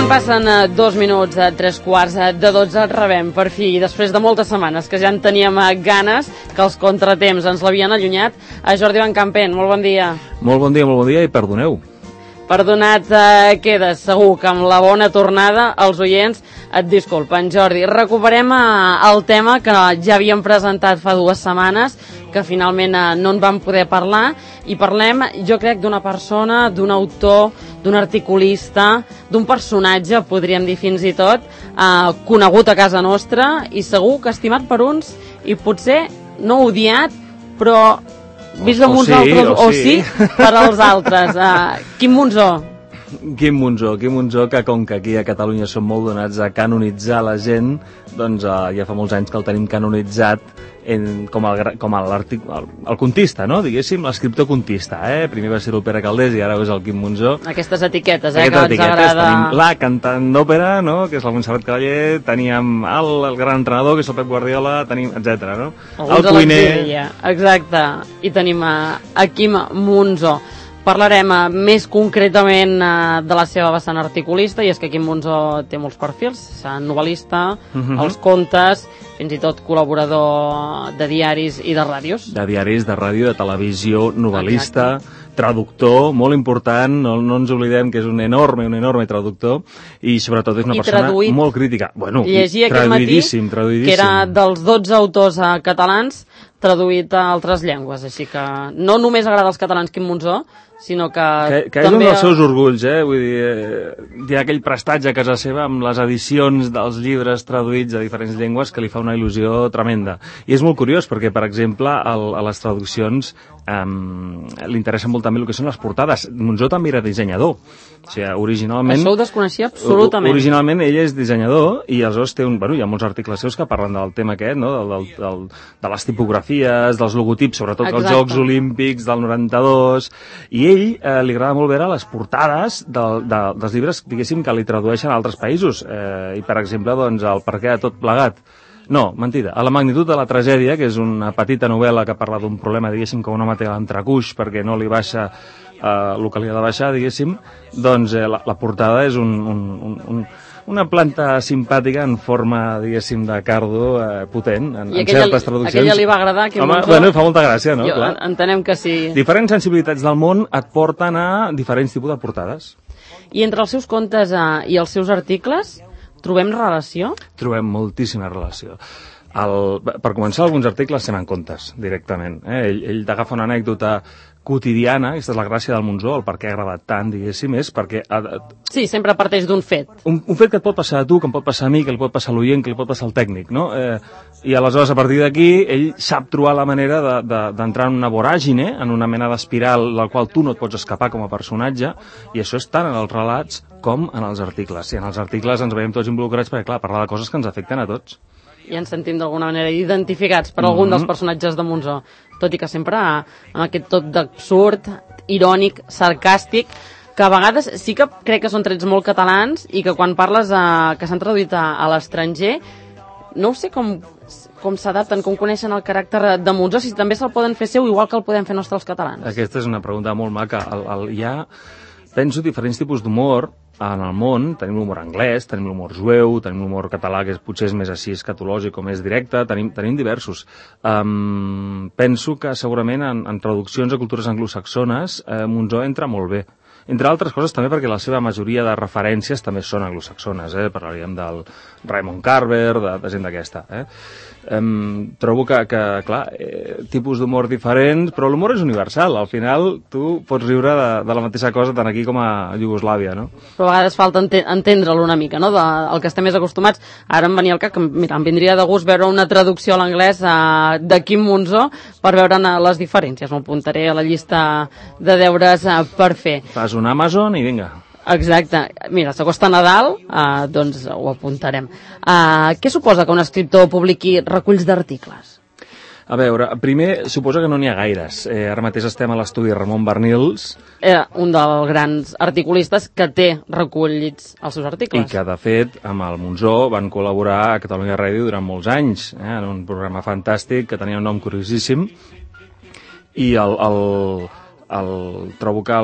Quan passen 2 minuts, 3 quarts de 12, rebem per fi, després de moltes setmanes que ja en teníem ganes, que els contratemps ens l'havien allunyat, a Jordi Van Campen. Molt bon dia. Molt bon dia i perdoneu. Perdonat quedes, segur que amb la bona tornada els oients et disculpen. Jordi, recuperem el tema que ja havíem presentat fa 2 setmanes, que finalment no en vam poder parlar, i parlem, jo crec, d'una persona, d'un autor, d'un articulista, d'un personatge, podríem dir fins i tot, conegut a casa nostra i segur que estimat per uns i potser no odiat, però vist amb uns altres, o sí, per als altres. Quim Monzó. Quim Monzó, que com que aquí a Catalunya som molt donats a canonitzar la gent, doncs ja fa molts anys que el tenim canonitzat com el contista, no? Diguéssim, l'escriptor contista. Primer va ser l'Opera Caldés i ara és el Quim Monzó. Aquestes etiquetes, que ens agrada. Tenim la cantant d'òpera, no? Que és la Montserrat Cavaller, teníem el gran entrenador, que és el Pep Guardiola, tenim, etc. No? El cuiner. Exacte. I tenim a Quim Monzó. Parlarem més concretament de la seva vessant articulista, i és que Quim Monzó té molts perfils, novel·lista, els contes, fins i tot col·laborador de diaris i de ràdios. De diaris, de ràdio, de televisió, novel·lista, traductor, molt important, no ens oblidem que és un enorme traductor, i sobretot és una persona molt crítica. Bueno, traduïdíssim. Que era dels 12 autors catalans traduït a altres llengües, així que no només agrada als catalans Quim Monzó, sinó que és un dels seus orgulls, vull dir, hi ha aquell prestatge a casa seva amb les edicions dels llibres traduïts a diferents llengües que li fa una il·lusió tremenda. I és molt curiós perquè, per exemple, a les traduccions li interessa molt també el que són les portades. Monzó també era dissenyador. O sigui, originalment... Això ho desconeixia absolutament. Originalment ell és dissenyador i aleshores té hi ha molts articles seus que parlen del tema aquest, no? De les tipografies, dels logotips, sobretot dels Jocs Olímpics del 92, i ell li agrada molt veure les portades dels llibres, diguéssim, que li tradueixen a altres països. I, per exemple, doncs, el Per què de tot plegat. No, mentida. A la magnitud de la tragèdia, que és una petita novel·la que parla d'un problema, diguéssim, que un home té a l'entrecuix perquè no li baixa el que li ha de baixar, diguéssim, doncs la portada és una planta simpàtica en forma, diguéssim, de cardo potent, en certes traduccions. I aquella li va agradar? Home, bueno, fa molta gràcia, no? Entenem que sí. Diferents sensibilitats del món et porten a diferents tipus de portades. I entre els seus contes i els seus articles trobem relació? Trobem moltíssima relació. Per començar, alguns articles se n'han contes, directament. Ell t'agafa una anècdota quotidiana, aquesta és la gràcia del Monzó, el per què ha agradat tant, diguéssim, és perquè... Sí, sempre parteix d'un fet. Un fet que et pot passar a tu, que em pot passar a mi, que li pot passar a l'oient, que li pot passar al tècnic, no? I aleshores, a partir d'aquí, ell sap trobar la manera d'entrar en una voràgine, en una mena d'espiral del qual tu no et pots escapar com a personatge, i això és tant en els relats com en els articles. I en els articles ens veiem tots involucrats perquè, clar, parlar de coses que ens afecten a tots. I ens sentim d'alguna manera identificats per algun dels personatges de Monzó, tot i que sempre amb aquest tot d'absurd, irònic, sarcàstic, que a vegades sí que crec que són trets molt catalans i que quan parles que s'han traduït a l'estranger, no sé com s'adapten, com coneixen el caràcter de Monzó, si també se'l poden fer seu igual que el podem fer nostres els catalans. Aquesta és una pregunta molt maca. Hi ha, penso, diferents tipus d'humor en el món. Tenim l'humor anglès, tenim l'humor jueu, tenim l'humor català, que potser és més així escatològic o més directe, tenim diversos. Penso que segurament en traduccions a cultures anglosaxones Monzó entra molt bé. Entre altres coses també perquè la seva majoria de referències també són anglosaxones, parlaríem del Raymond Carver, de gent d'aquesta. Trobo que clar, tipus d'humor diferents, però l'humor és universal. Al final tu pots riure de la mateixa cosa tant aquí com a Iugoslàvia, no? Però a vegades falta entendre-lo una mica, no? Del que estem més acostumats. Ara em venia al cap que, mira, em vindria de gust veure una traducció a l'anglès de Quim Monzó per veure les diferències. M'apuntaré a la llista de deures per fer. Fas un Amazon i vinga. Exacte. Mira, s'acosta Nadal, doncs ho apuntarem. Què suposa que un escriptor publiqui reculls d'articles? A veure, primer, suposa que no n'hi ha gaires. Ara mateix estem a l'estudi Ramon Barnils. Un dels grans articulistes que té recollits els seus articles. I que, de fet, amb el Monzó van col·laborar a Catalunya Ràdio durant molts anys, en un programa fantàstic que tenia un nom curiosíssim. I trobo que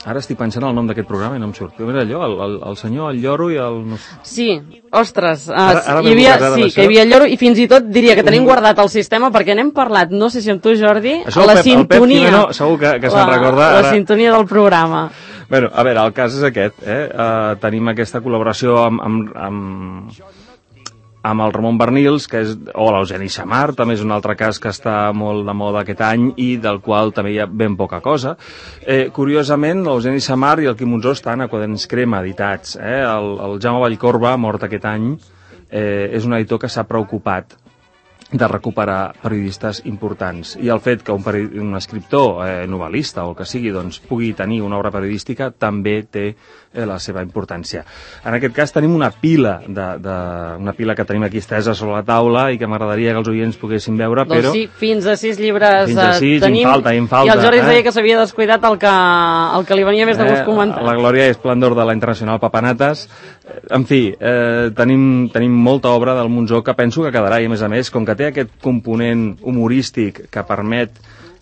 Ara estic pensant el nom d'aquest programa i no em surt. Era allò, el senyor, el lloro i el... Sí, ostres, ara que hi havia el lloro i fins i tot diria que tenim guardat el sistema perquè n'hem parlat, no sé si amb tu, Jordi, això la sintonia. El Pep Jimeno segur que se'n recorda. La sintonia del programa. Bueno, a veure, el cas és aquest, tenim aquesta col·laboració amb el Ramon Bernils, o l'Eugeni Xamar, també és un altre cas que està molt de moda aquest any i del qual també hi ha ben poca cosa. Curiosament, l'Eugeni Xamar i el Quim Monzó estan a Quaderns Crema editats. El Jaume Vallcorba, mort aquest any, és un editor que s'ha preocupat de recuperar periodistes importants. I el fet que un escriptor, novel·lista o el que sigui, doncs, pugui tenir una obra periodística també té la seva importància. En aquest cas tenim una pila que tenim aquí estesa sobre la taula i que m'agradaria que els oients poguessin veure, però... Doncs sí, fins a 6 llibres fins a 6, tenim, em falta, i el Jordi deia que s'havia descuidat el que li venia més de gust comentar. La glòria i esplendor de la Internacional Papanates. En fi, tenim molta obra del Monzó que penso que quedarà, i a més, com que té aquest component humorístic que permet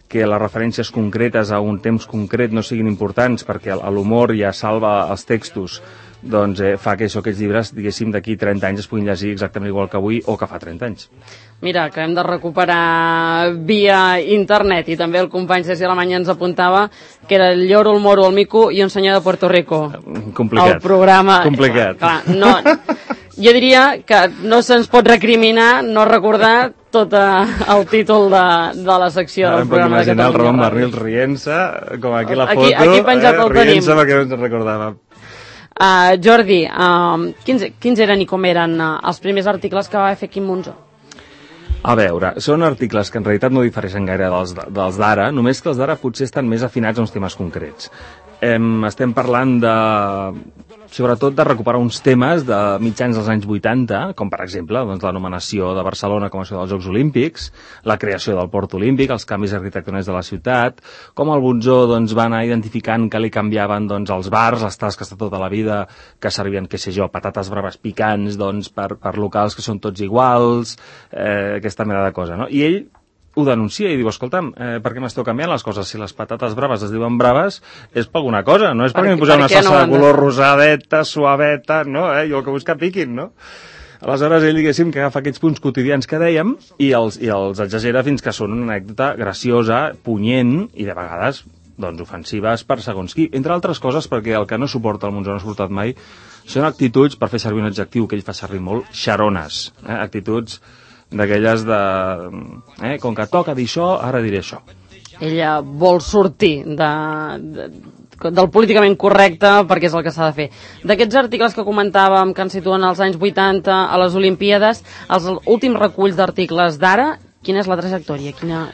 que les referències concretes a un temps concret no siguin importants perquè l'humor ja salva els textos, doncs fa que aquests llibres, diguéssim, d'aquí 30 anys es puguin llegir exactament igual que avui o que fa 30 anys. Mira, que hem de recuperar via internet, i també el company Ceci Alemany ens apuntava que era el lloro, el moro, el mico i un senyor de Puerto Rico. Complicat. El programa... Complicat. Clar, no, jo diria que no se'ns pot recriminar no recordar tot el títol de la secció del programa de Catalunya. Ara em puc imaginar el Ramon Bernils rient-se, com aquí la foto, aquí penjat el tenim. Rient-se perquè no ens recordàvem. Jordi, quins eren i com eren els primers articles que va fer Quim Monzó? A veure, són articles que en realitat no difereixen gaire dels d'ara, només que els d'ara potser estan més afinats a uns temes concrets. Estem parlant sobretot de recuperar uns temes de mitjans dels anys 80, com per exemple l'anomenació de Barcelona com a ciutat dels Jocs Olímpics, la creació del Port Olímpic, els canvis arquitectònics de la ciutat, com el Monzó va anar identificant que li canviaven els bars, les tasques de tota la vida, que servien, què sé jo, patates braves picants per locals que són tots iguals, aquesta mena de cosa, no? I ell ho denuncia i diu, escolta'm, per què m'esteu canviant les coses? Si les patates braves es diuen braves, és per alguna cosa, no és perquè m'hi posem una salsa de color rosadeta, suaveta, no? Jo el que vull que piquin, no? Aleshores, ell, diguéssim, que agafa aquests punts quotidians que dèiem i els exagera fins que són una anècdota graciosa, punyent i, de vegades, ofensives per segons qui. Entre altres coses, perquè el que no suporta el Monzó, no ha suportat mai, són actituds, per fer servir un adjectiu que ell fa servir molt, xarones. Actituds d'aquelles com que toca dir això, ara diré això. Ella vol sortir del políticament correcte perquè és el que s'ha de fer. D'aquests articles que comentàvem que ens situen als anys 80 a les Olimpíades, els últims reculls d'articles d'ara, quina és la trajectòria?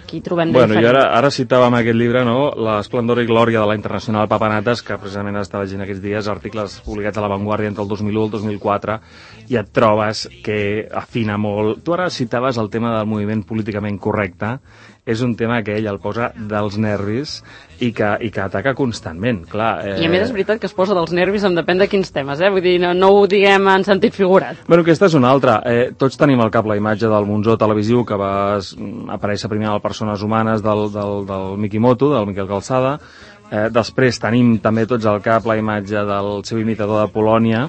Qui trobem de diferent? Jo ara citàvem aquest llibre, no? L'esplendor i glòria de la Internacional Papanates, que precisament està llegint aquests dies articles publicats a La Vanguardia entre el 2001 i el 2004, i et trobes que afina molt. Tu ara citaves el tema del moviment políticament correcte. És un tema que ell el posa dels nervis i que ataca constantment, clar. I a més és veritat que es posa dels nervis en depèn de quins temes, Vull dir, no ho diguem en sentit figurat. Bueno, aquesta és una altra. Tots tenim al cap la imatge del Monzó televisiu que va aparèixer primer a Persones Humanes del Mikimoto, del Miquel Calçada. Després tenim també tots al cap la imatge del seu imitador de Polònia,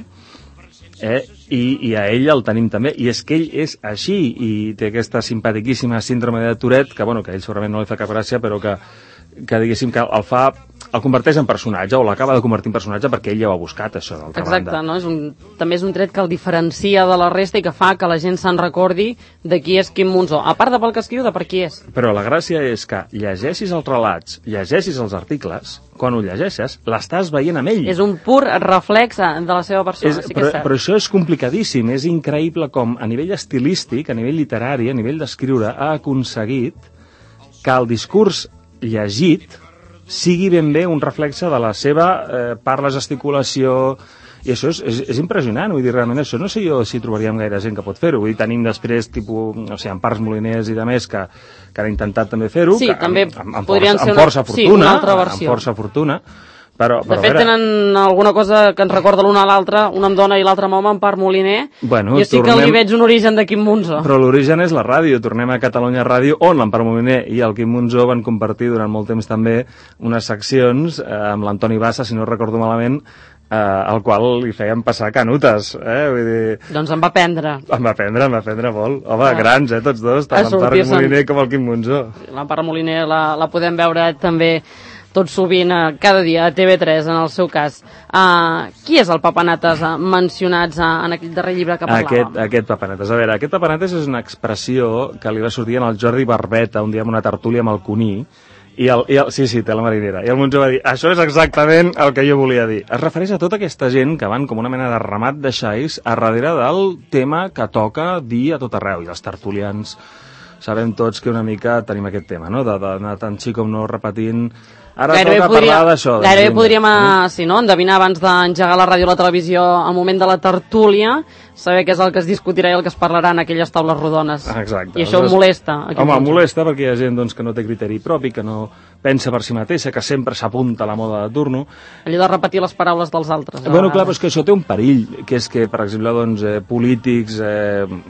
i a ell el tenim també, i és que ell és així i té aquesta simpatiquíssima síndrome de Tourette, que a ell segurament no li fa cap gràcia, però que diguéssim que el converteix en personatge, o l'acaba de convertir en personatge perquè ell ja ho ha buscat, això, d'altra banda. Exacte, no? També és un tret que el diferencia de la resta i que fa que la gent se'n recordi de qui és Quim Monzó, a part de pel que escriu, de per qui és. Però la gràcia és que llegeixis els relats, llegeixis els articles, quan ho llegeixes, l'estàs veient amb ell. És un pur reflex de la seva persona, sí que és cert. Però això és complicadíssim, és increïble com a nivell estilístic, a nivell literari, a nivell d'escriure, ha aconseguit que el discurs llegit sigui ben bé un reflexe de la seva parla, gesticulació, i això és impressionant, vull dir, realment això no sé jo si trobaríem gaire gent que pot fer-ho, vull dir, tenim després, Empars Moliners i de més que han intentat també fer-ho, sí, també amb força fortuna, una altra versió. amb força fortuna, De fet, tenen alguna cosa que ens recorda l'una a l'altra, una amb dona i l'altra amb home, en Part Moliner. Bueno, jo sí que li veig un origen de Quim Monzó. Però l'origen és la ràdio. Tornem a Catalunya Ràdio, on l'Empar Moliner i el Quim Monzó van compartir durant molt temps també unes seccions amb l'Antoni Bassa, si no recordo malament, al qual li feien passar canutes, vull dir... Doncs em va aprendre. Em va aprendre molt. Home, grans, tots dos, tant l'Empar Moliner com el Quim Monzó. L'Empar Moliner la podem veure també tot sovint, cada dia, a TV3, en el seu cas. Qui és el papanates mencionats en aquell darrer llibre que parlàvem? Aquest papanates. A veure, aquest papanates és una expressió que li va sortir al Jordi Barbeta un dia en una tertúlia amb el Cuní, sí, té la marinera. I el Monzó va dir, això és exactament el que jo volia dir. Es refereix a tota aquesta gent que van com una mena de ramat de xais a darrere del tema que toca dir a tot arreu. I els tertulians sabem tots que una mica tenim aquest tema, no? D'anar tant xic com no repetint. Ara toca parlar d'això. Gairebé podríem, endevinar abans d'engegar la ràdio o la televisió al moment de la tertúlia, saber què és el que es discutirà i el que es parlarà en aquelles taules rodones. Exacte. I això molesta. Home, molesta perquè hi ha gent que no té criteri propi, que no pensa per si mateixa, que sempre s'apunta a la moda de turno. Allò de repetir les paraules dels altres. Bueno, clar, però és que això té un perill, que és que, per exemple, polítics,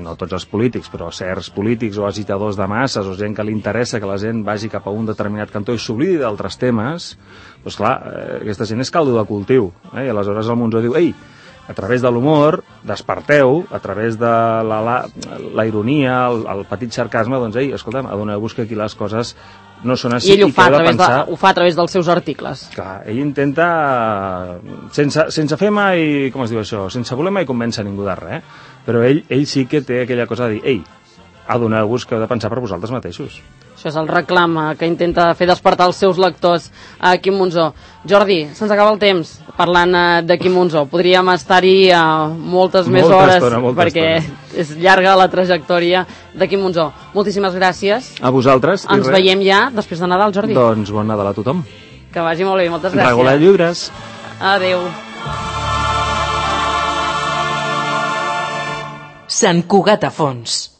no tots els polítics, però certs polítics o agitadors de masses o gent que li interessa que la gent vagi cap a un determinat cantó i s'oblidi d'altres temes, doncs clar, aquesta gent és caldo de cultiu. I aleshores el Monzó diu, ei, a través de l'humor, desperteu, a través de la ironia, el petit sarcasme, doncs, ei, escolta'm, adoneu-vos que aquí les coses no són així. I ell ho fa a través dels seus articles. Clar, ell intenta, sense fer mai, com es diu això, sense voler mai convèncer ningú de res, però ell sí que té aquella cosa de dir, ei, adoneu-vos que heu de pensar per vosaltres mateixos. Això és el reclam que intenta fer despertar els seus lectors a Quim Monzó. Jordi, se'ns acaba el temps parlant de Quim Monzó. Podríem estar-hi moltes més hores perquè és llarga la trajectòria de Quim Monzó. Moltíssimes gràcies. A vosaltres. Ens veiem ja després de Nadal, Jordi. Doncs bon Nadal a tothom. Que vagi molt bé, moltes gràcies. Regular llibres. Adéu. Sant Cugat a Fons.